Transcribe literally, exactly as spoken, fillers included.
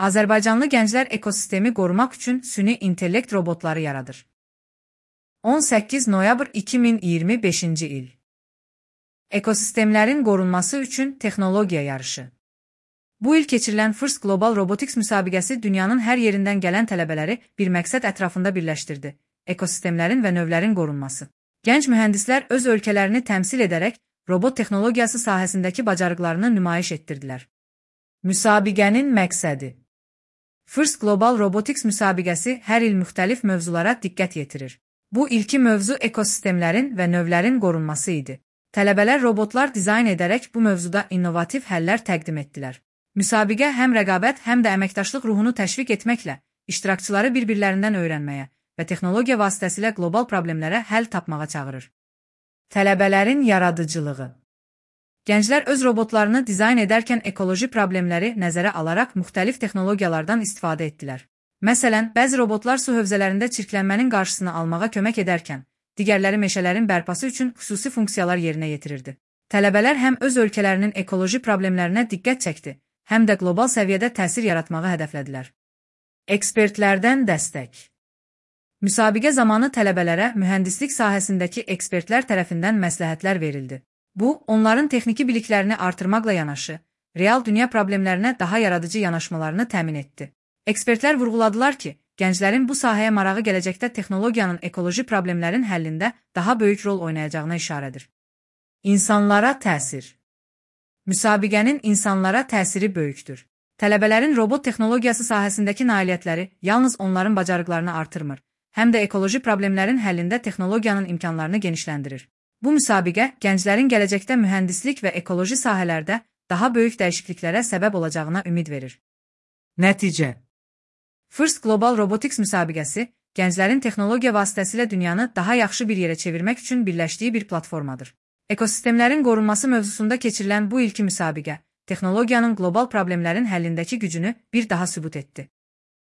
Azərbaycanlı gənclər ekosistemi qorumaq üçün süni intellekt robotları yaradır. on səkkiz noyabr iki min iyirmi beşinci il. Ekosistemlərin qorunması üçün texnologiya yarışı. Bu il keçirilən First Global Robotics müsabiqəsi dünyanın hər yerindən gələn tələbələri bir məqsəd ətrafında birləşdirdi: ekosistemlərin və növlərin qorunması. Gənc mühəndislər öz ölkələrini təmsil edərək robot texnologiyası sahəsindəki bacarıqlarını nümayiş etdirdilər. Müsabiqənin məqsədi. First Global Robotics müsabiqəsi hər il müxtəlif mövzulara diqqət yetirir. Bu ilki mövzu ekosistemlərin və növlərin qorunması idi. Tələbələr robotlar dizayn edərək bu mövzuda innovativ həllər təqdim etdilər. Müsabiqə həm rəqabət, həm də əməkdaşlıq ruhunu təşviq etməklə iştirakçıları bir-birlərindən öyrənməyə və texnologiya vasitəsilə qlobal problemlərə həll tapmağa çağırır. Tələbələrin yaradıcılığı. Gənclər öz robotlarını dizayn edərkən ekoloji problemləri nəzərə alaraq müxtəlif texnologiyalardan istifadə etdilər. Məsələn, bəzi robotlar su hövzələrində çirklənmənin qarşısını almağa kömək edərkən, digərləri meşələrin bərpası üçün xüsusi funksiyalar yerinə yetirirdi. Tələbələr həm öz ölkələrinin ekoloji problemlərinə diqqət çəkdi, həm də qlobal səviyyədə təsir yaratmağı hədəflədilər. Ekspertlərdən dəstək. Müsabiqə zamanı tələbələrə mühəndislik sahəsindəki ekspertlər tərəfindən məsləhətlər verildi. Bu, onların texniki biliklərini artırmaqla yanaşı, real dünya problemlərinə daha yaradıcı yanaşmalarını təmin etdi. Ekspertlər vurğuladılar ki, gənclərin bu sahəyə marağı gələcəkdə texnologiyanın ekoloji problemlərin həllində daha böyük rol oynayacağına işarədir. İnsanlara təsir. Müsabiqənin insanlara təsiri böyükdür. Tələbələrin robot texnologiyası sahəsindəki nailiyyətləri yalnız onların bacarıqlarını artırmır, həm də ekoloji problemlərin həllində texnologiyanın imkanlarını genişləndirir. Bu müsabiqə gənclərin gələcəkdə mühəndislik və ekoloji sahələrdə daha böyük dəyişikliklərə səbəb olacağına ümid verir. Nəticə. First Global Robotics müsabiqəsi gənclərin texnologiya vasitəsilə dünyanı daha yaxşı bir yerə çevirmək üçün birləşdiyi bir platformadır. Ekosistemlərin qorunması mövzusunda keçirilən bu ilki müsabiqə texnologiyanın qlobal problemlərin həllindəki gücünü bir daha sübut etdi.